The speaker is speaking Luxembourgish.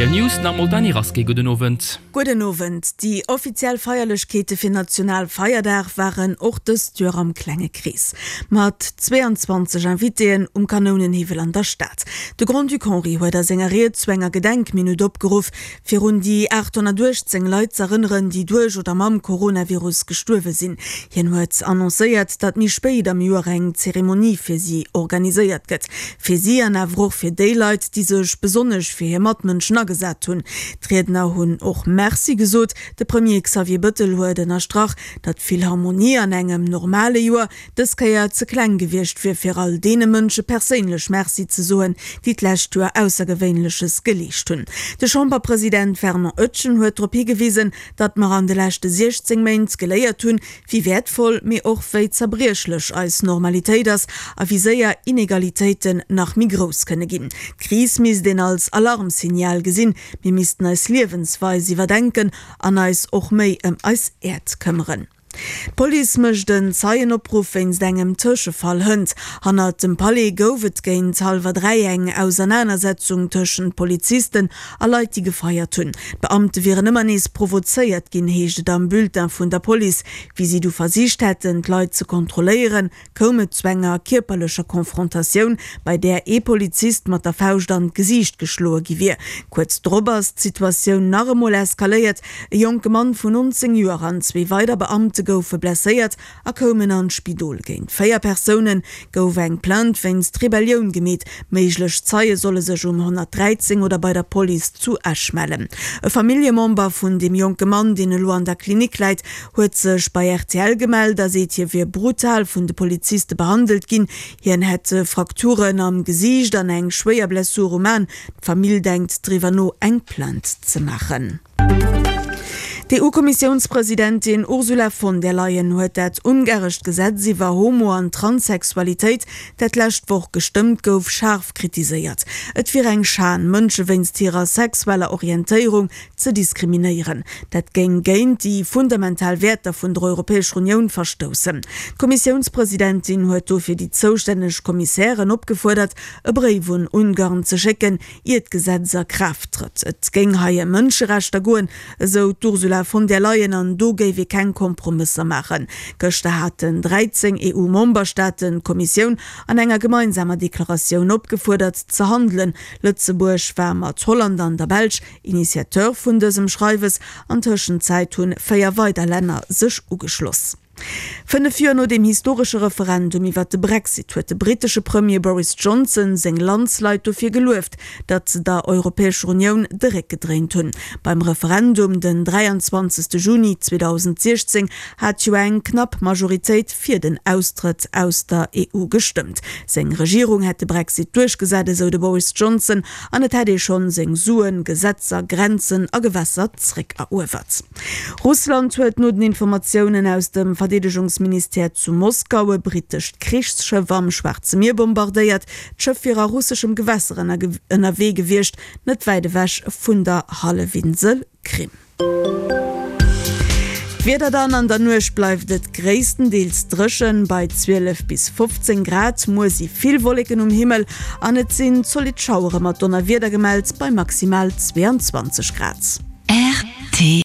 Rtl News nach emol d'Dany Rasqué. Gudden Owend. Gudden Owend. Déi offiziell Feierlechkeete fir Nationalfeierdag waren och dëst Joer am klenge Krees. Mat 22 Invitéen um Kanounenhiwwel an der Stad. De Grand-Duc Henri huet a senger Ried zu enger Gedenkminutt opgeruff, fir un déi 818 Leit z'erënneren, déi duerch oder mam Coronavirus gestuerwe sinn. Hien huet annoncéiert, datt méi spéit am Joer eng Zeremonie fir si organiséiert gëtt. Fir si an awer och fir déi Leit, déi sech besonnesch fir hir Matmënschen agesat hunn. D'Riedner hunn och Merci gesot. De Premier Xavier Bëttel huet ënnerstrach, datt d'Philharmonie an engem normale Joer dës Kéier ze kleng gewiescht wier fir all deene Mënsche perséinlech Merci ze soen, déi d'lescht Joer Aussergewéinleches geleescht hunn. De Chamberpresident Fernand Etgen huet drop higewisen, datt mer an de leschte 16 Méint geléiert hunn, wéi wäertvoll, mee och wéi zerbriechlech eis Normalitéit ass a wéi séier Inegalitéiten nach méi grouss kënne ginn. D'Kris misst een als Alarmsignal gesinn, mir missten eis Liewensweis iwwerdenken an eis och méi ëm eis Äerd këmmeren. D'Police mécht en Zeienopruff wéinst engem Tëschefall hënt. Hannert dem Palais gouf et géint hallwer 3 eng Ausernanersetzung tëschent Polizisten a Leit, déi gefeiert hunn. D'Beamte wieren ëmmer nees provozéiert ginn, heescht et am Bulletin vun der Police. Wéi si du versicht hätten, d'Leit ze kontrolléieren, koum et zu enger kierperlecher Confrontatioun, bei där ee Polizist mat der Fauscht an d'Gesiicht geschloe gi wier. Kuerz drop ass d'Situatioun nach emol eskaléiert, E jonke Mann vun 19 Joer an zwee weider Beamte goufe blesséiert a koumen an d'Spidol. Géint 4 Persoune gouf eng Plainte wéinst Rebellioun gemeet. Méiglech Zeie solle sech um 113 oder bei der Police zu Esch mellen. E Familljemember vun deem jonke Mann, deen elo an der Klinik läit, huet sech bei rtl gemellt a seet, hie wier brutal vun de Poliziste behandelt ginn. Hien hätt Frakturen am Gesiicht an eng schwéier Blessur um An. D'Famill denkt driwwer no, eng Plainte ze maachen. D'EU-Kommissiounspresidentin Ursula von der Leyen huet dat ungarescht Gesetz iwwer Homo an Transsexualitéit, dat d'lescht Woch gestëmmt gouf, schaarf kritiséiert. Et wier eng Schan, Mënsche wéinst hirer sexueller Orientéierung ze diskriminéieren. Dat géing géint déi fundamental Wäerter vun der Europäescher Unioun verstoussen. D'Kommissiounspresidentin huet dofir déi zoustänneg Kommissären opgefuerdert, e Bréif un Ungarn ze schécken, ier d'Gesetz a Kraaft trëtt. Et géing hei ëm Mënscherechter goen, esou d'Ursula von der Leyen, an do géif ee keng Kompromësser maachen. Gëschter haten 13 EU-Memberstaaten d'Kommissioun an enger gemeinsamer Deklaratioun opgefuerdert, ze handelen. Lëtzebuerg war mat Holland an der Belsch Initiateur vun dësem Schreiwes. An Tëschenzäit hunn 4 weider Länner sech ugeschloss. 5 Joer no dem historesche Referendum iwwert de Brexit huet de brittesche Premier Boris Johnson seng Landsleit dofir gelueft, datt se der Europäescher Unioun de Réck gedréint hunn. Beim Referendum den 23 Juni 2016 hat jo eng knapp Majoritéit fir den Austrëtt aus der EU gestëmmt. Seng Regierung hätt de Brexit duerchgesat, esou de Boris Johnson, An et hätt ee schonn seng Suen, Gesetzer, Grenzen a Gewässer zréckeruewert. Russland huet no den Informatiounen aus dem Verdeedegungsministère zu Moskau e brittescht Krichsschëff am Schwaarze Mier bombardéiert. D'Schëff wier a russeschem Gewässer ënnerwee gewiescht, net wäit ewech vun der Hallefinsel Krim. D'Wieder dann, An der Nuecht bleift et gréisstendeels dréchen, bei 12 bis 15 Grad. Muer si vill Wolleken um Himmel an et sinn zolidd Schauere mat Donnerwieder gemellt, bei maximal 22 Grad. Rtl.